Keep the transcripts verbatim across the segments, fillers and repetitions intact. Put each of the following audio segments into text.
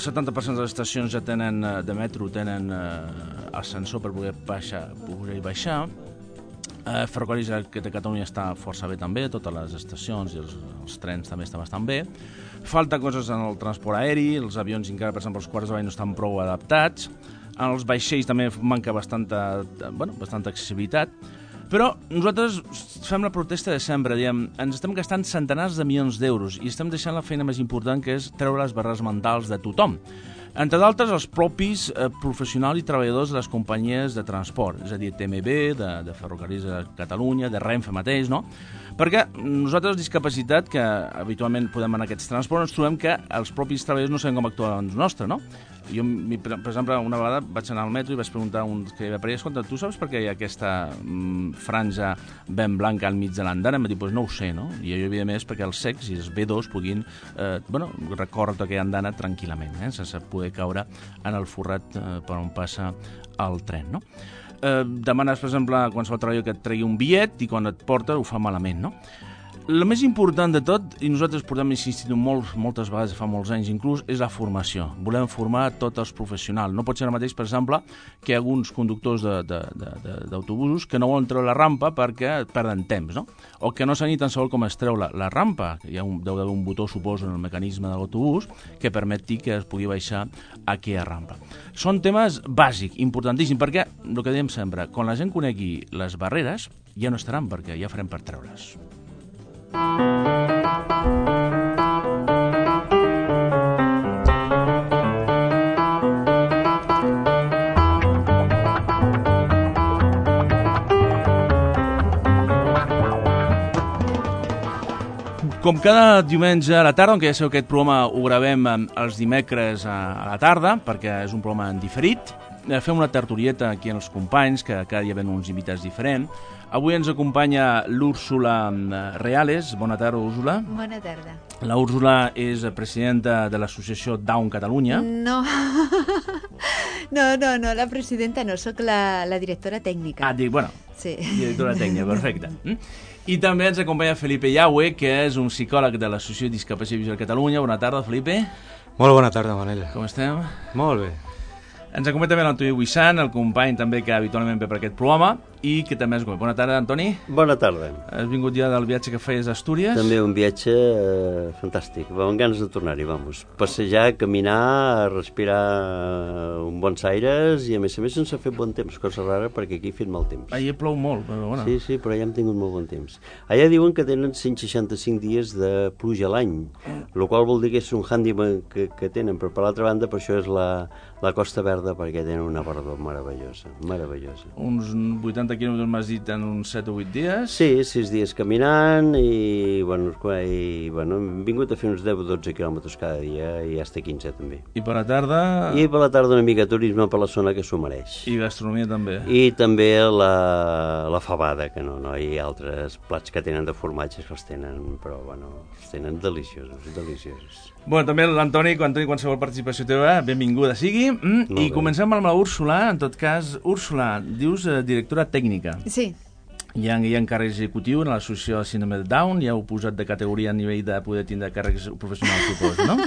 setanta per cent de les estacions ja tenen, de metro tenen eh, ascensor per poder baixar, poder baixar. Eh, Ferrocarrils de Catalunya està força bé també, totes les estacions i els, els trens també estan bastant bé. Falta coses en el transport aeri, els avions encara, per exemple, els quarts de bany no estan prou adaptats. En els vaixells també manca bastanta, bueno, bastanta accessibilitat. Però nosaltres fem la protesta de sempre, diem, ens estem gastant centenars de milions d'euros i estem deixant la feina més important, que és treure les barreres mentals de tothom. Entre d'altres, els propis eh, professionals i treballadors de les companyies de transport, és a dir, T M B, de, de Ferrocarrils de Catalunya, de Renfe mateix, no? Perquè nosaltres, discapacitat, que habitualment podem anar a aquests transports, ens trobem que els propis treballadors no sabem com actuar davant nostre, no? Jo, per exemple, una vegada vaig anar al metro i vaig preguntar a un que hi havia per allà, escolta, tu saps per què hi ha aquesta mm, franja ben blanca al mig de l'andana? Em va dir, doncs no ho sé, no? I jo, evidentment, és perquè els cecs i els B dos puguin eh, bueno, recórrer tota aquella andana tranquil·lament, eh, sense poder caure en el forrat eh, per on passa el tren, no? Eh, demanes, per exemple, a qualsevol treballador que et tregui un bitllet i quan et porta ho fa malament, no? El més important de tot, i nosaltres portem insistit molt, moltes vegades, fa molts anys inclús, és la formació. Volem formar tots els professionals. No pot ser el mateix, per exemple, que alguns conductors d'autobusos que no volen treure la rampa perquè perden temps, no? O que no saben ni tan sols com es treu la, la rampa. Hi ha un, deu d'haver un botó, suposo, en el mecanisme de l'autobús que permeti que es pugui baixar aquella rampa. Són temes bàsics, importantíssims, perquè, el que diem sempre, quan la gent conegui les barreres, ja no estaran, perquè ja farem per treure's. Com cada diumenge a la tarda, que ja sabeu que aquest programa ho gravem els dimecres a la tarda, perquè és un programa en diferit, fem una tertulieta aquí amb els companys, que cada dia ven uns invitats diferents. Avui ens acompanya l'Úrsula Reales. Bona tarda, Úrsula. Bona tarda. La Úrsula és presidenta de l'associació Down Catalunya. No, no, no, no, la presidenta no, sóc la, la directora tècnica. Ah, dic, bueno, sí. Directora tècnica, perfecte. I també ens acompanya Felipe Yahue, que és un psicòleg de l'Associació de Discapacitat Visual de Catalunya. Bona tarda, Felipe. Molt bona tarda, Manel. Com estem? Molt bé. Ens acompanya també l'Antoni Buissan, el company també que habitualment ve per aquest programa, i que també ens acompanya. Bona tarda, Antoni. Bona tarda. Has vingut ja del viatge que feies a Astúries? També un viatge eh, fantàstic, amb ganes de tornar-hi, vamos. Passejar, caminar, respirar un bons aires i a més a més sense fer bon temps, cosa rara perquè aquí ha fet mal temps. Allà plou molt, però bueno. Sí, sí, però allà hem tingut molt bon temps. Allà diuen que tenen cent seixanta-cinc dies de pluja a l'any, el qual vol dir que és un handicap que, que tenen, però per l'altra banda per això és la, la Costa Verda, perquè tenen una verdor meravellosa, meravellosa. Uns vuitanta quilòmetres m'has dit en uns set o vuit dies? Sí, sis dies caminant i, bueno, i, bueno, hem vingut a fer uns deu o dotze quilòmetres cada dia i ja està quinze també. I per la tarda? I per la tarda una mica de turisme per la zona que s'ho mereix. I gastronomia també? I també la, la fabada, que no, no hi ha altres plats que tenen de formatges que els tenen, però bueno, els tenen deliciosos, deliciosos. Bueno, també l'Antoni, quan tingui qualsevol participació teva, benvinguda sigui. Mm, I bé. Comencem amb la Úrsula. En tot cas, Úrsula, dius eh, directora tècnica. Sí. Hi ha, hi ha càrrec executiu en l'associació de síndrome de Down, ja heu posat de categoria a nivell de poder tindre càrrecs professionals, suposo, no?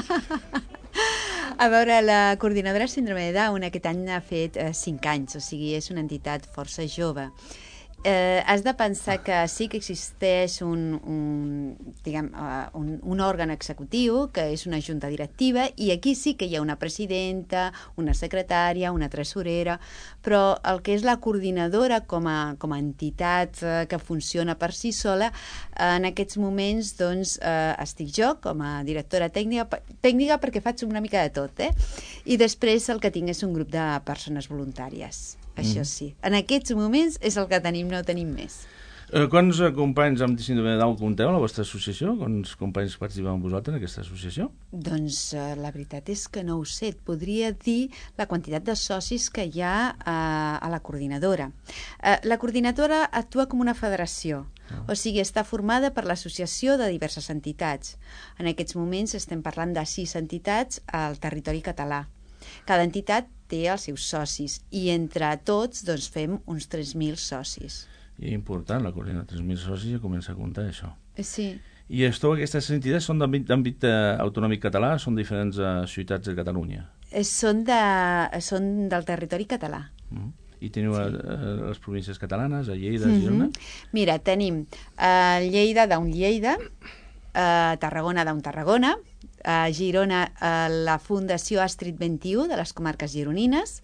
A veure, la coordinadora síndrome de Down aquest any ha fet eh, cinc anys, o sigui, és una entitat força jove. Eh, has de pensar que sí que existeix un, un, diguem, uh, un, un òrgan executiu, que és una junta directiva, i aquí sí que hi ha una presidenta, una secretària, una tresorera, però el que és la coordinadora com a, com a entitat uh, que funciona per si sola, uh, en aquests moments doncs, uh, estic jo com a directora tècnica, tècnica perquè faig una mica de tot, eh? I després el que tinc és un grup de persones voluntàries. Això sí. En aquests moments és el que tenim, no tenim més. Eh, quants companys amb síndrome de Down compteu a la vostra associació? Quants companys participeu amb vosaltres en aquesta associació? Doncs eh, la veritat és que no ho sé. Et podria dir la quantitat de socis que hi ha eh, a la coordinadora. Eh, la coordinadora actua com una federació. Oh. O sigui, està formada per l'associació de diverses entitats. En aquests moments estem parlant de sis entitats al territori català. Cada entitat té els seus socis i entre tots doncs, fem uns tres mil socis. I important, la coordinadora, tres mil socis ja comença a comptar això. Sí. I esteu, aquestes entitats són d'àmbit autonòmic català, són diferents ciutats de Catalunya? Són, de, són del territori català. Mm. I teniu sí. les províncies catalanes, a Lleida, a Girona? Mm-hmm. Mira, tenim a Lleida d'un Lleida, a Tarragona d'un Tarragona, a Girona a la Fundació Astrid vint i u de les comarques gironines,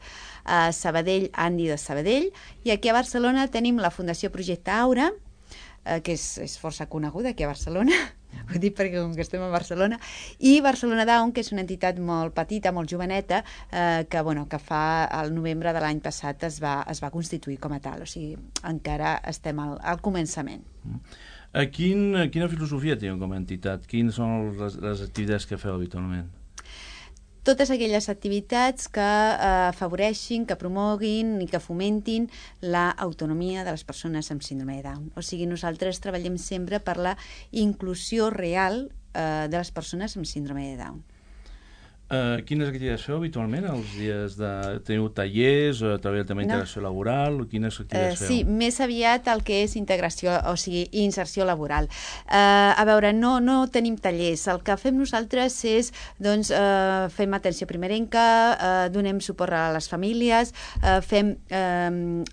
a Sabadell, Andi de Sabadell, i aquí a Barcelona tenim la Fundació Projecte Aura, eh, que és, és força coneguda aquí a Barcelona, ho dic perquè com que estem a Barcelona, i Barcelona Down, que és una entitat molt petita, molt joveneta, eh, que, bueno, que fa el novembre de l'any passat es va, es va constituir com a tal, o sigui, encara estem al, al començament. Mm. A quin, quina filosofia teniu com a entitat? Quines són les, les activitats que feu habitualment? Totes aquelles activitats que eh, afavoreixin, que promoguin i que fomentin l'autonomia de les persones amb síndrome de Down. O sigui, nosaltres treballem sempre per la inclusió real eh, de les persones amb síndrome de Down. Uh, quines activitats feu habitualment? Els dies de... Teniu tallers, o treballeu també integració no. laboral? Quines activitats uh, feu? Sí, més aviat el que és integració, o sigui, inserció laboral. Uh, a veure, no, no tenim tallers. El que fem nosaltres és, doncs, uh, fem atenció primerenca, uh, donem suport a les famílies, uh, fem... Uh,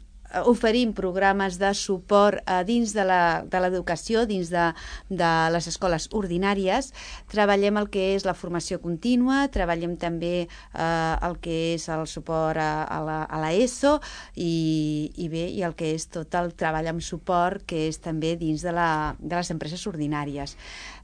oferim programes de suport eh, dins de l'educació, dins de, de les escoles ordinàries, treballem el que és la formació contínua, treballem també eh, el que és el suport a, a, la, a la ESO i, i bé, i el que és tot el treball amb suport que és també dins de, la, de les empreses ordinàries.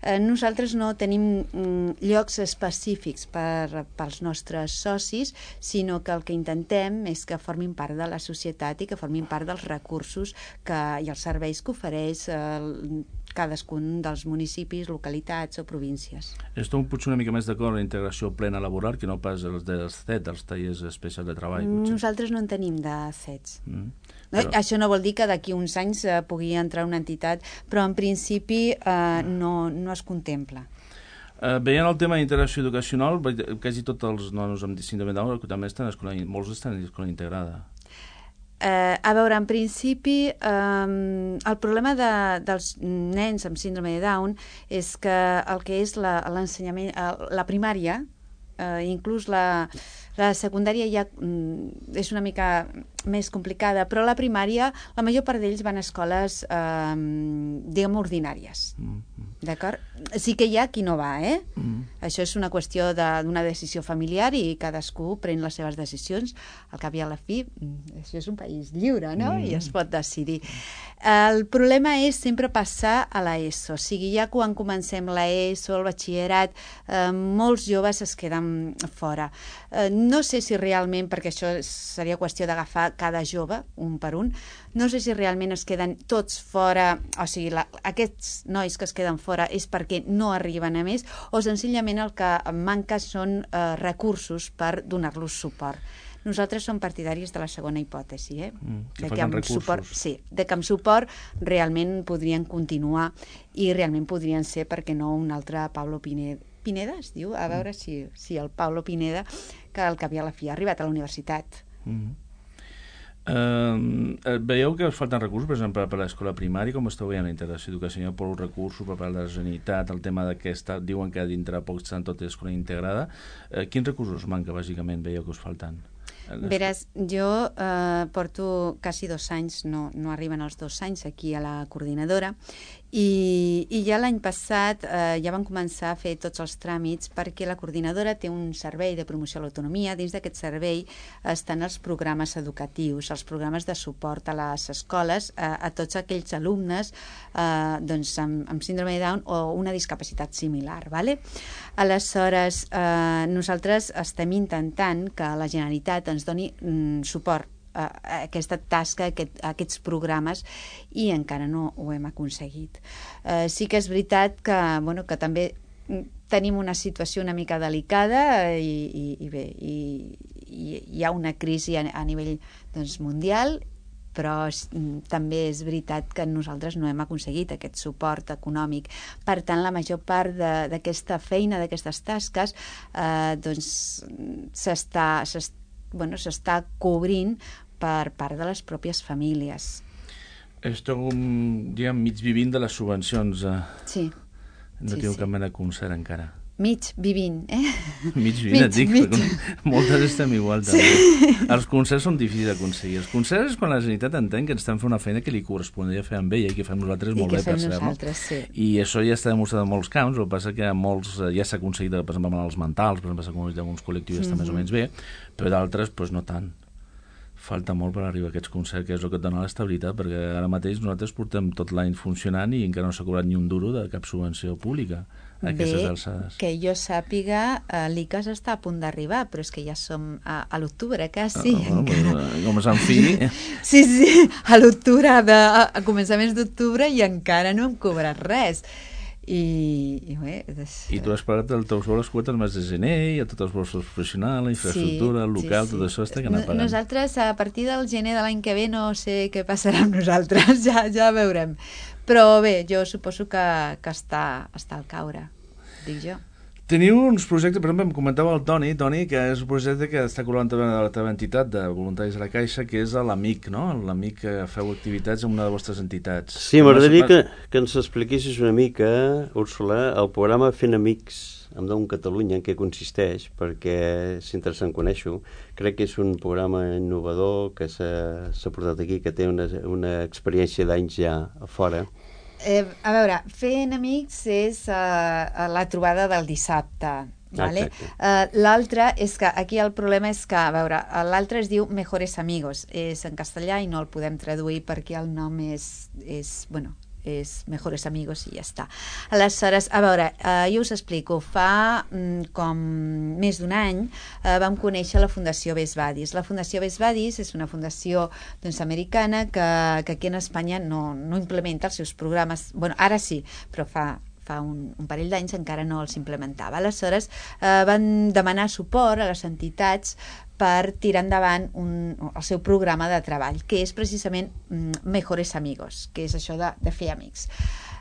Eh, nosaltres no tenim mm, llocs específics per, pels nostres socis, sinó que el que intentem és que formin part de la societat i que formin part dels recursos que, i els serveis que ofereix eh, cadascun dels municipis, localitats o províncies. Esteu potser una mica més d'acord amb la integració plena laboral que no pas els dels C E T, els tallers especials de treball? Potser. Nosaltres no en tenim de C E Ts. Mm. Però... Això no vol dir que d'aquí uns anys eh, pugui entrar una entitat, però en principi eh, no, no es contempla. Uh, veient el tema d'integració educacional, quasi tots els nanos amb síndrome de Down també estan a escola, molts estan a escola integrada. Eh, a veure, en principi, eh, el problema de, dels nens amb síndrome de Down és que el que és l'ensenyament, la primària, eh, inclús la, la secundària ja mm, és una mica més complicada, però la primària, la major part d'ells van a escoles, eh, diguem, ordinàries. Mm -hmm. D'acord? Sí que hi ha qui no va, eh? Mm. Això és una qüestió d'una decisió familiar i cadascú pren les seves decisions. Al cap i a la fi, això és un país lliure, no? Mm. I es pot decidir. El problema és sempre passar a la ESO. O sigui, ja quan comencem la ESO, el batxillerat, eh, molts joves es queden fora. Eh, no sé si realment, perquè això seria qüestió d'agafar cada jove, un per un, no sé si realment es queden tots fora, o sigui, la, aquests nois que es queden fora és perquè no arriben a més, o senzillament el que manca són eh, recursos per donar-los suport. Nosaltres som partidaris de la segona hipòtesi, eh? Mm, que de que amb suport, sí, de que amb suport realment podrien continuar i realment podrien ser, perquè no, un altre Pablo Pineda, Pineda es diu? A veure mm. si, si el Pablo Pineda, que al cap i a la fi ha arribat a la universitat. Mm. Uh, veieu que us falten recursos, per exemple, per a l'escola primària, com esteu veient la integració educacional, per recursos, per part de la Generalitat, el tema d'aquesta, diuen que dintre poc estan totes escola integrada. Uh, quins recursos manca, bàsicament, veieu que us falten? Veràs, jo eh, porto quasi dos anys, no, no arriben els dos anys aquí a la coordinadora, i, i ja l'any passat eh, ja van començar a fer tots els tràmits perquè la coordinadora té un servei de promoció a l'autonomia. Dins d'aquest servei estan els programes educatius, els programes de suport a les escoles, a, a tots aquells alumnes eh, doncs, amb, amb síndrome de Down o una discapacitat similar. Vale? Aleshores, eh, nosaltres estem intentant que la Generalitat ens doni mm, suport a aquesta tasca, a, aquest, a aquests programes, i encara no ho hem aconseguit. Eh, sí que és veritat que, bueno, que també tenim una situació una mica delicada i, i, i bé, i, i hi ha una crisi a, a nivell doncs, mundial, però també és veritat que nosaltres no hem aconseguit aquest suport econòmic. Per tant, la major part d'aquesta feina, d'aquestes tasques, eh, doncs s'està s'està bueno, s'està cobrint per part de les pròpies famílies. Esteu, diguem, mig vivint de les subvencions. Eh? Sí. No sí, tinc sí. cap mena de concert encara. Mig vivint, eh? Mig vivint, et dic, mig. perquè moltes estem igual també. Sí. Els concerts són difícils d'aconseguir. Els concerts és quan la Generalitat entén que ens estem fent una feina que li correspondria fer amb ella i que fem nosaltres molt bé, per cert. I que fem nosaltres, sí. I això ja està demostrat en molts camps, el que passa que molts ja s'ha aconseguit, per exemple, amb els mentals, per exemple, s'ha aconseguit alguns col·lectius mm-hmm. està més o menys bé, però d'altres, doncs no tant. Falta molt per arribar a aquests concerts, que és el que et dona l'estabilitat, perquè ara mateix nosaltres portem tot l'any funcionant i encara no s'ha cobrat ni un duro de cap subvenció pública a aquestes alçades. Que jo sàpiga, eh, l'I C A S està a punt d'arribar, però és que ja som a, a l'octubre, quasi. Ah, encara... Com Sant Fi... Sí, sí, a l'octubre, a, a començaments d'octubre, i encara no hem cobrat res. I, i, bé, des... I tu has pagat el teu sou a les quotes més de gener, i a tots els bolsos professionals, la infraestructura, sí, el local, sí, sí. Tot això està que anar pagant. Nosaltres, a partir del gener de l'any que ve, no sé què passarà amb nosaltres, ja, ja veurem. Però bé, jo suposo que, que està, està al caure, dic jo. Teniu uns projectes, per exemple, em comentava el Toni, Toni, que és un projecte que està col·laborant també de la teva entitat de voluntaris de la Caixa, que és l'Amic, no? L'Amic, que feu activitats en una de les vostres entitats. Sí, m'agradaria que, que ens expliquessis una mica, Úrsula, el programa Fent Amics amb Down Catalunya, en què consisteix, perquè és interessant conèixer-ho. Crec que és un programa innovador que s'ha portat aquí, que té una, una experiència d'anys ja a fora. Eh, a veure, Fent Amics és uh, la trobada del dissabte. Vale? Uh, l'altre és que aquí el problema és que, a veure, l'altre es diu Mejores Amigos, és en castellà i no el podem traduir perquè el nom és, és bueno, és Mejores Amigos i ja està. Aleshores, a veure, eh, jo us explico, fa mm, com més d'un any eh, vam conèixer la Fundació Best Buddies. La Fundació Best Buddies és una fundació doncs, americana que, que aquí en Espanya no, no implementa els seus programes, bueno, ara sí, però fa fa un, un parell d'anys encara no els implementava. Aleshores, eh, van demanar suport a les entitats per tirar endavant un, el seu programa de treball, que és precisament mm, Mejores Amigos, que és això de, de fer amics.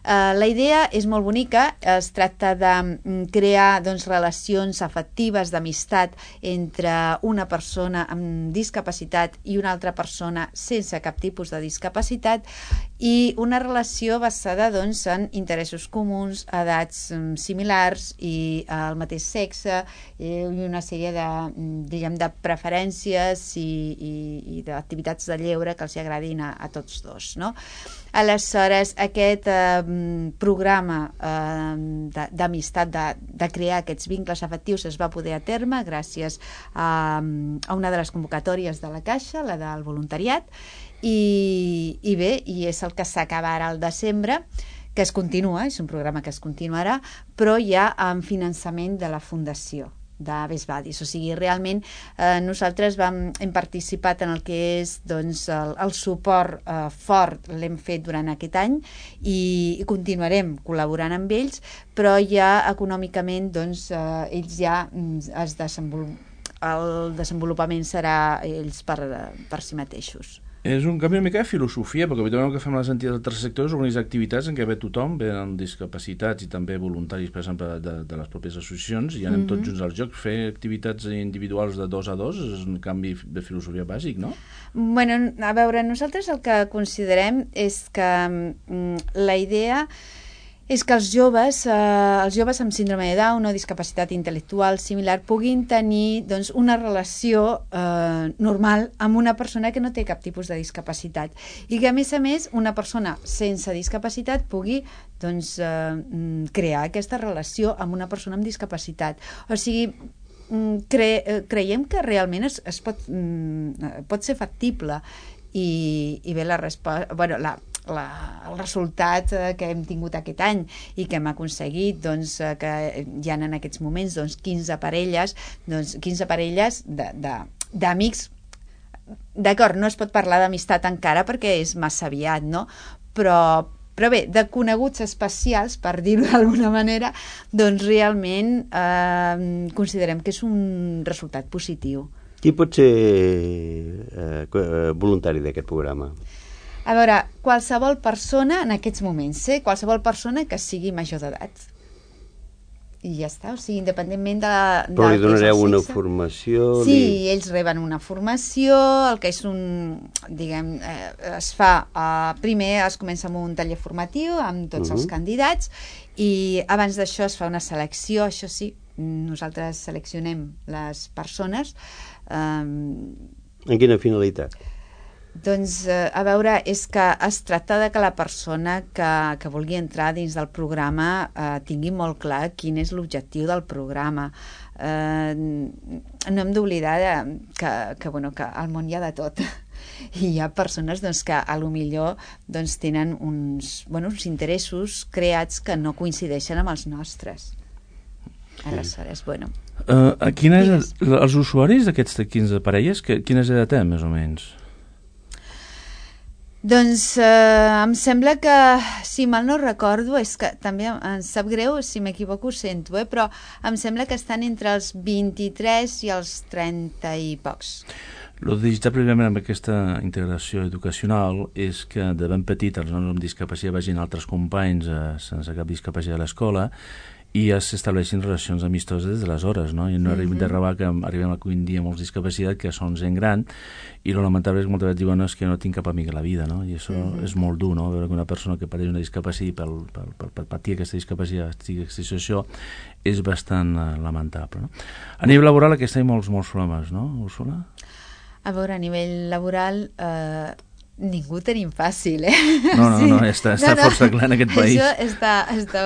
Uh, la idea és molt bonica, es tracta de mm, crear doncs, relacions afectives d'amistat entre una persona amb discapacitat i una altra persona sense cap tipus de discapacitat, i una relació basada doncs, en interessos comuns, edats mm, similars i uh, el mateix sexe, i una sèrie de, diguem, de preferències i, i, i d'activitats de lleure que els agradin a, a tots dos, no? Aleshores, aquest eh, programa eh, d'amistat, de, de crear aquests vincles afectius es va poder a terme gràcies a, a una de les convocatòries de la Caixa, la del voluntariat, i, i bé, i és el que s'acaba ara al desembre, que es continua, és un programa que es continuarà, però ja amb finançament de la Fundació de Best Buddies. O sigui, realment eh, nosaltres vam, hem participat en el que és doncs, el, el suport eh, fort, l'hem fet durant aquest any i, i continuarem col·laborant amb ells, però ja econòmicament doncs, eh, ells ja es desenvolupen, el desenvolupament serà ells per, per si mateixos. És un canvi una mica de filosofia, perquè habitualment el que fem les entitats del tercer sector és organitzar activitats en què ve tothom, ve amb discapacitats i també voluntaris, per exemple, de, de les pròpies associacions, i anem mm-hmm. tots junts al joc. Fer activitats individuals de dos a dos és un canvi de filosofia bàsic, no? Bueno, a veure, nosaltres el que considerem és que mm, la idea és que els joves, eh, els joves amb síndrome de Down o discapacitat intel·lectual similar puguin tenir doncs, una relació eh, normal amb una persona que no té cap tipus de discapacitat i que a més a més una persona sense discapacitat pugui doncs, eh, crear aquesta relació amb una persona amb discapacitat. O sigui, cre creiem que realment es, es pot, pot ser factible i, i bé, la resposta... Bueno, la, La, el resultat eh, que hem tingut aquest any i que hem aconseguit doncs, eh, que hi ha en aquests moments doncs, quinze parelles, doncs, quinze parelles d'amics. D'acord, no es pot parlar d'amistat encara perquè és massa aviat, no? Però, però bé, de coneguts especials, per dir-ho d'alguna manera, doncs realment eh, considerem que és un resultat positiu. Qui pot ser eh, voluntari d'aquest programa? A veure, qualsevol persona en aquests moments, eh? Qualsevol persona que sigui major d'edat. i ja està, o sigui, independentment de la... Però li donareu una formació? Sí, li... ells reben una formació, el que és un, diguem, eh, es fa, eh, primer es comença amb un taller formatiu amb tots uh-huh. els candidats i abans d'això es fa una selecció, això sí, nosaltres seleccionem les persones. Eh, en quina finalitat? Doncs, eh, a veure, és que es tracta de que la persona que, que vulgui entrar dins del programa eh, tingui molt clar quin és l'objectiu del programa. Eh, no hem d'oblidar que, que, bueno, que al món hi ha de tot. I hi ha persones doncs, que a lo millor doncs, tenen uns, bueno, uns interessos creats que no coincideixen amb els nostres. Aleshores, bueno... Uh, quines, els usuaris d'aquests quinze parelles, que, quines edat tenen, més o menys? Doncs eh, em sembla que, si mal no recordo, és que també em sap greu, si m'equivoco ho sento, eh, però em sembla que estan entre els vint-i-tres i els trenta i pocs. El digital, primerament, amb aquesta integració educacional és que de ben petit els nois amb discapacitat vagin altres companys eh, sense cap discapacitat a l'escola i ja s'estableixin relacions amistoses des de les hores, no? I no mm-hmm. arribem de rebar que arribem a un dia amb molts discapacitat, que són gent gran, i lo lamentable és que moltes vegades diuen és que no tinc cap amic a la vida, no? I això mm-hmm. és molt dur, no? Veure que una persona que pateix una discapacitat per, per, per, per patir aquesta discapacitat, aquesta situació, és bastant uh, lamentable, no? A nivell laboral aquí hi ha molts, molts problemes, no, Úrsula? A veure, a nivell laboral... Eh... ningú tenim fàcil, eh? No, no, sí. no, està, està no, no. força clar en aquest país. Això està, està...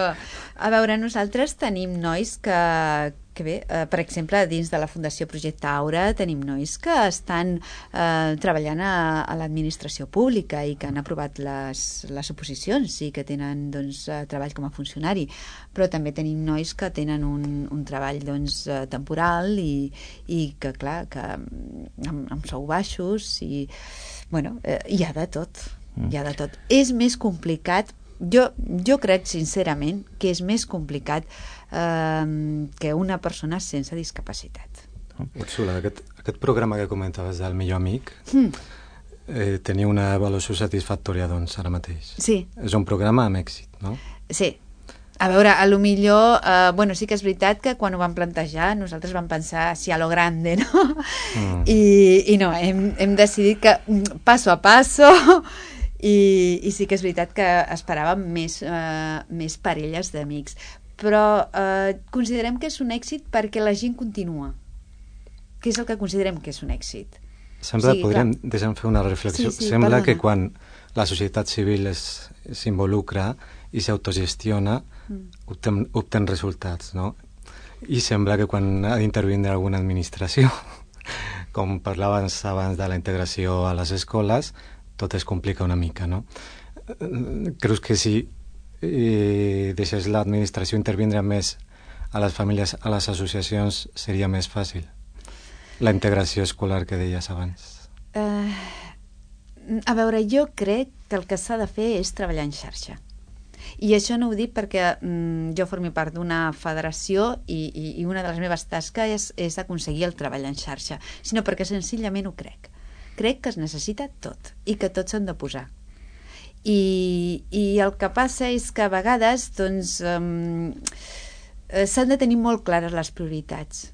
A veure, nosaltres tenim nois que, que bé, eh, per exemple, dins de la Fundació Projecte Aura tenim nois que estan eh, treballant a, a l'administració pública i que han aprovat les, les oposicions i que tenen doncs, treball com a funcionari, però també tenim nois que tenen un, un treball doncs, temporal i, i que, clar, que amb, amb sou baixos i bueno, eh, hi ha de tot, mm. hi ha de tot. És més complicat, jo, jo crec sincerament que és més complicat eh, que una persona sense discapacitat. Úrsula, aquest, aquest programa que comentaves del millor amic mm. eh, tenia una avaluació satisfactòria doncs ara mateix. Sí. És un programa amb èxit, no? Sí. A veure, a lo millor, eh, bueno, sí que és veritat que quan ho vam plantejar nosaltres vam pensar si a lo grande, no? Mm. I, i no, hem, hem decidit que passo a passo i, i sí que és veritat que esperàvem més, eh, més parelles d'amics. Però eh, considerem que és un èxit perquè la gent continua. Què és el que considerem que és un èxit? Sembla, sí, podríem, deixa'm fer una reflexió, sí, sí, sembla perdona. Que quan la societat civil s'involucra i s'autogestiona, mm. obten, obten resultats, no? I sembla que quan ha d'intervenir alguna administració, com parlaves abans de la integració a les escoles, tot es complica una mica, no? Creus que si eh, deixés l'administració intervindre més a les famílies, a les associacions, seria més fàcil? La integració escolar que deies abans. Uh, a veure, jo crec que el que s'ha de fer és treballar en xarxa. I això no ho dic perquè mm, jo formi part d'una federació i, i, i una de les meves tasques és, és aconseguir el treball en xarxa, sinó perquè senzillament ho crec. Crec que es necessita tot i que tots s'han de posar. I, i el que passa és que a vegades doncs, um, s'han de tenir molt clares les prioritats.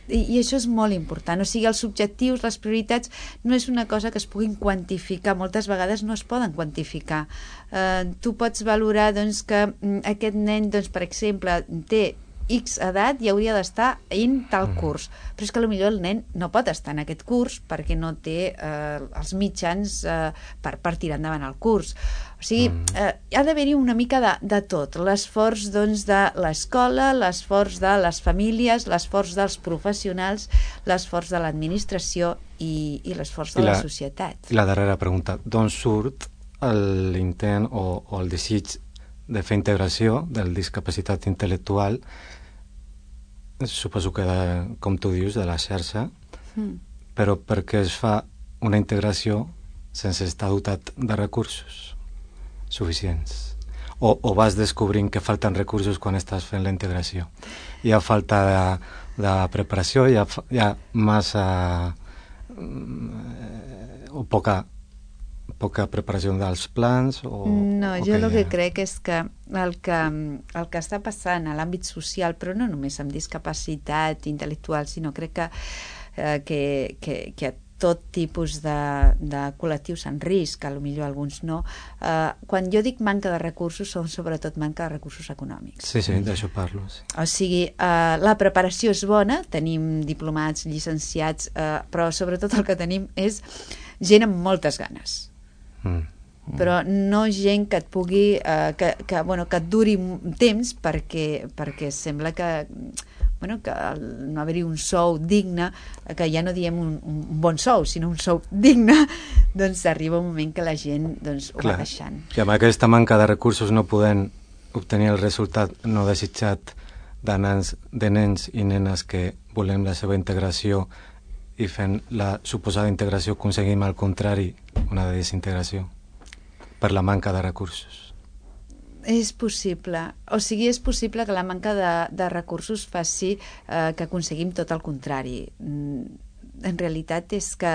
I, i això és molt important, o sigui, els objectius, les prioritats no és una cosa que es puguin quantificar, moltes vegades no es poden quantificar. Eh, tu pots valorar doncs, que aquest nen, doncs, per exemple, té X edat i hauria d'estar en tal curs, però és que potser el nen no pot estar en aquest curs perquè no té eh, els mitjans eh, per, per tirar endavant el curs. O sigui, eh, ha d'haver-hi una mica de, de tot, l'esforç doncs, de l'escola, l'esforç de les famílies, l'esforç dels professionals, l'esforç de l'administració i, i l'esforç de la, la societat. I la darrera pregunta, d'on surt l'intent o, o el desig de fer integració de la discapacitat intel·lectual? Suposo que, de, com tu dius, de la xarxa, mm. però per què es fa una integració sense estar dotat de recursos suficients? O, o vas descobrint que falten recursos quan estàs fent la integració? Hi ha falta de, de preparació, hi ha, hi ha massa o poca poca preparació dels plans? O, no, o jo el que ha... crec és que el, que el que està passant a l'àmbit social, però no només amb discapacitat intel·lectual, sinó crec que, eh, que, que, que a tot tipus de, de col·lectius en risc, a lo millor alguns no. Eh, quan jo dic manca de recursos, són sobretot manca de recursos econòmics. Sí, sí, d'això parlo. Sí. O sigui, eh, la preparació és bona, tenim diplomats, llicenciats, eh, però sobretot el que tenim és gent amb moltes ganes. Mm. Però no gent que et pugui, eh, que, que, bueno, que et duri temps perquè, perquè sembla que bueno, que no haver-hi un sou digne, que ja no diem un, un bon sou, sinó un sou digne, doncs arriba un moment que la gent doncs, ho Clar, va deixant. I amb aquesta manca de recursos no podem obtenir el resultat no desitjat de nens, de nens i nenes que volem la seva integració i fent la suposada integració aconseguim al contrari una desintegració per la manca de recursos. És possible. O sigui, és possible que la manca de, de recursos faci eh, que aconseguim tot el contrari. En realitat és que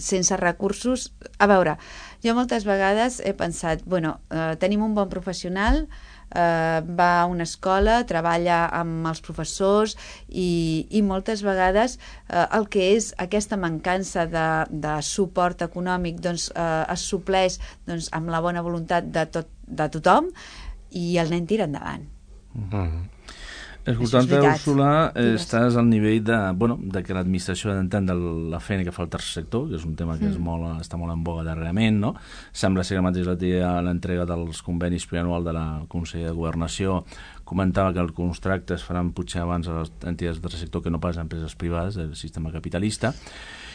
sense recursos... A veure, jo moltes vegades he pensat, bueno, eh, tenim un bon professional, eh, va a una escola, treballa amb els professors i, i moltes vegades eh, el que és aquesta mancança de, de suport econòmic doncs, eh, es supleix doncs, amb la bona voluntat de, tot, de tothom i el nen tira endavant. Mm-hmm. Escoltant-te, Úrsula, eh, estàs al nivell de, bueno, de que l'administració ha d'entendre la feina que fa el tercer sector, que és un tema que mm. és molt, està molt en boga darrerament, no? Sembla ser que mateix la tia l'entrega dels convenis plurianual de la Consell de Governació comentava que els contractes faran potser abans a les entitats del tercer sector que no pas a empreses privades del sistema capitalista.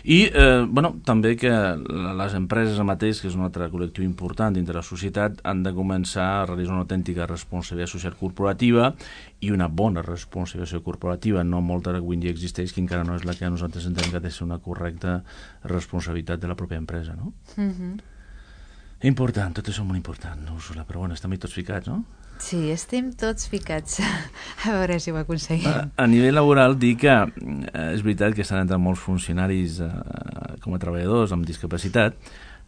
I, eh, bueno, també que les empreses mateix, que és un altre col·lectiu important dintre la societat, han de començar a realitzar una autèntica responsabilitat social corporativa i una bona responsabilitat corporativa, no molta que avui dia existeix, que encara no és la que nosaltres entenem que ha de ser una correcta responsabilitat de la pròpia empresa, no? Mhm. Important, tot això és molt important, Úrsula, però bueno, estem tots ficats, no? Sí, estem tots ficats. A veure si ho aconseguim. A, a nivell laboral, dir que eh, és veritat que estan entrant molts funcionaris eh, com a treballadors amb discapacitat,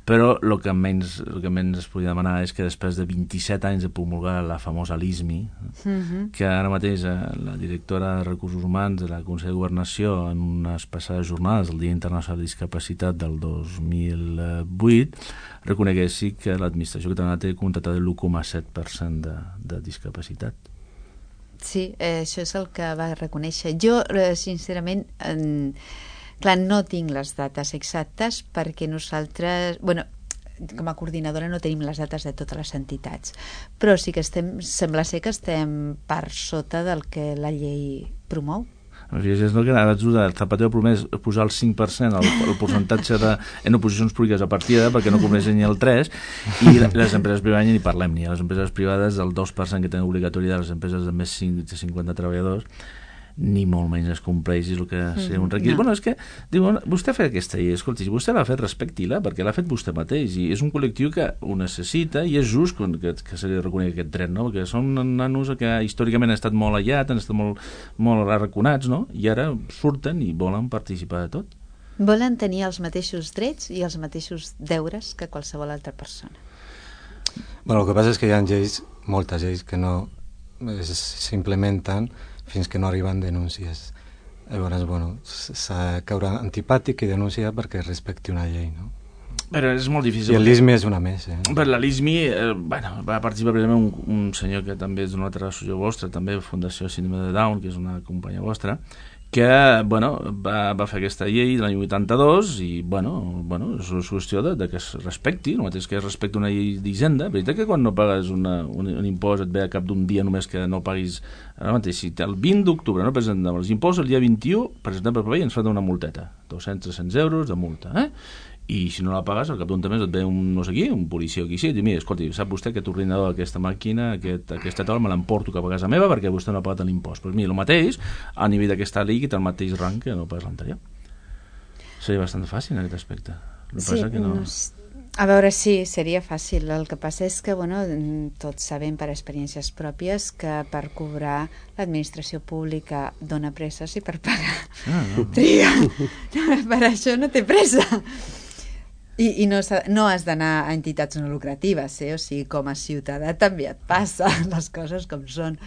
però el que menys, el que menys es podria demanar és que després de vint-i-set anys de promulgar la famosa LISMI, mm-hmm. que ara mateix eh, la directora de Recursos Humans de la Consell de Governació en unes passades jornades del Dia Internacional de Discapacitat del dos mil vuit reconeguessi que l'administració catalana té contractat l'u coma set per cent de, de discapacitat. Sí, eh, això és el que va reconèixer. Jo, eh, sincerament, en... clar, no tinc les dates exactes perquè nosaltres, bueno, com a coordinadora no tenim les dates de totes les entitats, però sí que estem, sembla ser que estem per sota del que la llei promou. És el que ara el Zapatero promès posar el cinc per cent el, el percentatge de, en oposicions públiques a partida perquè no compleixen ni el tres i les empreses privades ni parlem ni a les empreses privades el dos per cent que tenen obligatori de les empreses de més de cinquanta treballadors ni molt menys es compleix el que seria un requisit. No. Bueno, és que, diuen, vostè ha fet aquesta llei, escolti, si vostè l'ha fet, respecti-la, perquè l'ha fet vostè mateix, i és un col·lectiu que ho necessita, i és just que, que se li reconegui aquest dret, no? Perquè són nanos que històricament han estat molt allats, han estat molt, molt arraconats, no? I ara surten i volen participar de tot. Volen tenir els mateixos drets i els mateixos deures que qualsevol altra persona. Bueno, el que passa és que hi ha lleis, moltes lleis, que no s'implementen fins que no arriben denúncies. Llavors, bueno, s'ha de caure antipàtic i denunciar perquè respecti una llei, no? Però és molt difícil. I el LISMI és una més, eh? Per la LISMI, eh, bueno, va participar precisament un, un senyor que també és d'una altra associació vostra, també Fundació Síndrome de Down, que és una companya vostra, que, bueno, va, va fer aquesta llei de l'any vuitanta-dos i, bueno, bueno és una qüestió de, de que es respecti, no mateix que es respecti una llei d'Hisenda. Veritat que quan no pagues una, un, un impost et ve a cap d'un dia només que no paguis ara mateix. Si el vint d'octubre no presentem els impostos, el dia vint-i-u presentem per paper i ens fa una multeta, dos-cents a tres-cents euros de multa, eh? I si no la pagues, al cap d'un temps et ve un no sé qui, un policia o qui sigui, i diu, mira, escolti, sap vostè aquest ordinador, aquesta màquina, aquest, aquesta taula me l'emporto cap a casa meva perquè vostè no ha pagat l'impost. Però mira, el mateix, a nivell d'aquesta llei, que té el mateix rang que no pas l'anterior. Seria bastant fàcil en aquest aspecte. El sí, que no... a veure, sí, seria fàcil. El que passa és que, bueno, tots sabem per experiències pròpies que per cobrar l'administració pública dona presses i per pagar ah, no. triga. Per això no té pressa. I, i no, no has d'anar a entitats no lucratives, eh? O sigui, com a ciutadà també et passa les coses com són.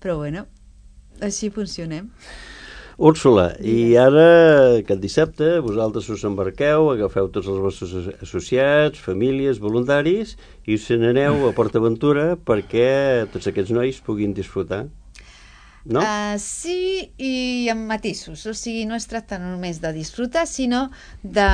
Però bueno, així funcionem. Úrsula, i ara, aquest dissabte, vosaltres us embarqueu, agafeu tots els vostres associats, famílies, voluntaris, i us n'aneu a PortAventura perquè tots aquests nois puguin disfrutar, no? Uh, sí, i amb matisos. O sigui, no es tracta només de disfrutar, sinó de,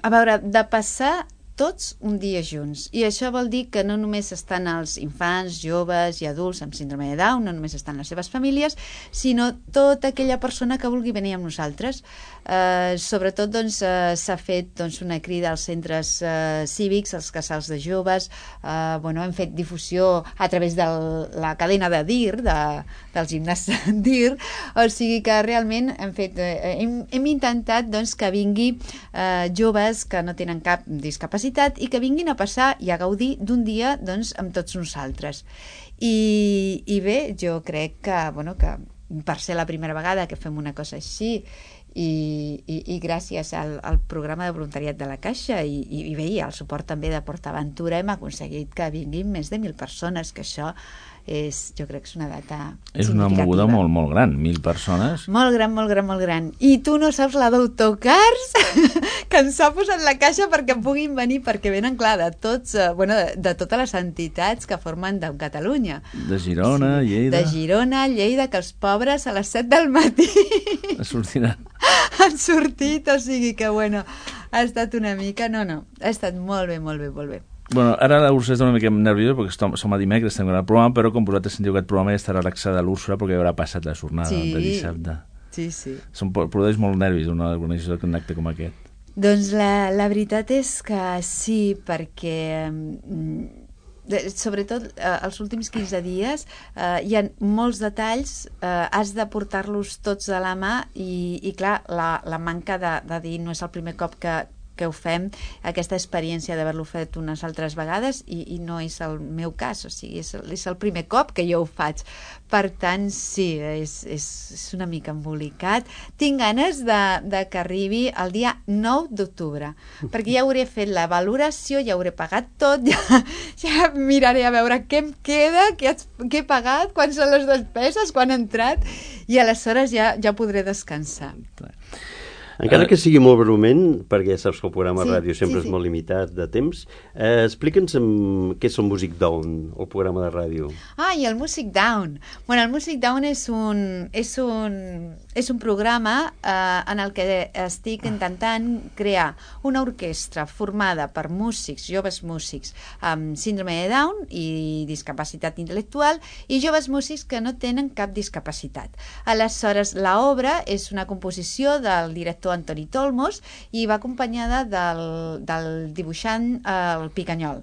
a veure, de passar tots un dia junts. I això vol dir que no només estan els infants, joves i adults amb síndrome de Down, no només estan les seves famílies, sinó tota aquella persona que vulgui venir amb nosaltres. Eh, sobretot doncs, eh, s'ha fet doncs, una crida als centres eh, cívics, als casals de joves, eh, bueno, hem fet difusió a través de la cadena de D I R, de, del gimnàs D I R, o sigui que realment hem, fet, eh, hem, hem intentat doncs, que vingui eh, joves que no tenen cap discapacitat i que vinguin a passar i a gaudir d'un dia doncs, amb tots nosaltres. I, i bé, jo crec que, bueno, que per ser la primera vegada que fem una cosa així i, i, i gràcies al, al programa de voluntariat de la Caixa i, i, i bé, i al suport també de PortAventura hem aconseguit que vinguin més de mil persones, que això és, jo crec que és una data és una moguda molt, molt gran, mil persones. Molt gran, molt gran, molt gran. I tu no saps la d'autocars que ens ha posat la Caixa perquè puguin venir, perquè venen, clar, de tots, eh, bueno, de, de totes les entitats que formen de Catalunya. De Girona, sí, Lleida. De Girona, Lleida, que els pobres a les set del matí sortiran. han sortit, o sigui que, bueno, ha estat una mica... No, no, ha estat molt bé, molt bé, molt bé. Bueno, ara l'Úrsula està una mica nerviosa perquè som, som a dimecres, estem gravant el programa, però com vosaltres sentiu aquest programa ja estarà relaxada l'Úrsula perquè haurà passat la jornada sí, de dissabte. Sí, sí. Som, produeix molt nervis una organització d'un acte com aquest. Doncs la, la veritat és que sí, perquè mm, sobretot eh, els últims quinze dies eh, hi ha molts detalls, eh, has de portar-los tots a la mà i, i clar, la, la manca de, de dir no és el primer cop que que ho fem, aquesta experiència d'haver-lo fet unes altres vegades i, i no és el meu cas, o sigui, és, és el primer cop que jo ho faig. Per tant, sí, és, és, és una mica embolicat. Tinc ganes de, de que arribi el dia nou d'octubre, perquè ja hauré fet la valoració, ja hauré pagat tot, ja, ja miraré a veure què em queda, què, què he pagat, quants són les despeses, quan he entrat, i aleshores ja, ja podré descansar. Encara que sigui molt breument, perquè ja saps que el programa sí, ràdio sempre sí, sí. és molt limitat de temps, eh, explica'ns què és el Music Down, el programa de ràdio. Ah, i el Music Down. Bueno, el Music Down és un, és un, és un programa eh, en el que estic intentant crear una orquestra formada per músics, joves músics amb síndrome de Down i discapacitat intel·lectual i joves músics que no tenen cap discapacitat. Aleshores, l'obra és una composició del director Antoni Tolmos i va acompanyada del, del dibuixant eh, el Picanyol.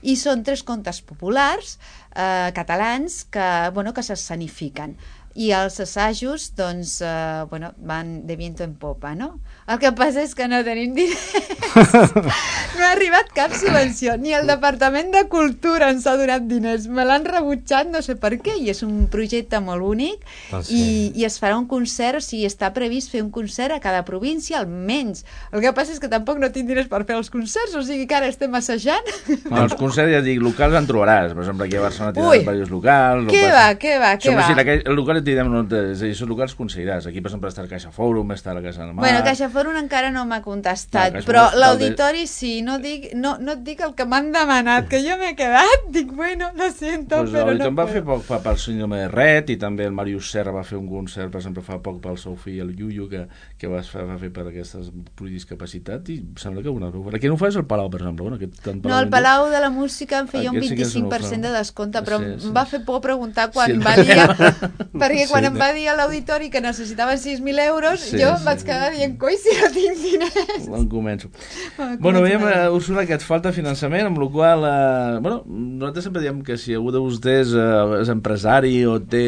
I són tres contes populars eh, catalans que, bueno, que s'escenifiquen. I els assajos, doncs, eh, bueno, van de viento en popa, no? El que passa és que no tenim diners. No ha arribat cap subvenció, ni el Departament de Cultura ens ha donat diners. Me l'han rebutjat, no sé per què, i és un projecte molt únic, ah, sí. i, i es farà un concert, o sigui, està previst fer un concert a cada província, almenys. El que passa és que tampoc no tinc diners per fer els concerts, o sigui que ara estem assajant. No, els concerts, ja dic, locals en trobaràs. Per exemple, aquí a Barcelona tenen diversos locals. Què va, què va, què va? El local direm, no, és a dir, són locals considerats. Aquí, per exemple, està el Caixa Fòrum, està la Casa del Mar... Bueno, Caixa Fòrum encara no m'ha contestat, no, però l'auditori sí, no, dic, no, no et dic el que m'han demanat, que jo m'he quedat, dic, bueno, lo siento, pues però no puedo. Va fer poc pel síndrome de Rett i també el Màrius Serra va fer un concert, per exemple, fa poc pel seu fill, el Yuyu, que, que va, fer, va fer per aquestes discapacitat i sembla que una... Aquí no ho fas el Palau, per exemple. Bueno, aquest, no, el Palau de la Música em feia un vint-i-cinc per cent de descompte, però sí, sí. em va fer por preguntar quan sí, va dir... perquè quan sí, em va dir a l'auditori que necessitaven sis mil euros, sí, jo em vaig sí. quedar dient, coi, si no tinc diners. Em començo. Bueno, bueno veiem, uh, Úrsula, que et falta finançament, amb la qual uh, bueno, nosaltres sempre diem que si algú de vostès uh, és empresari o té,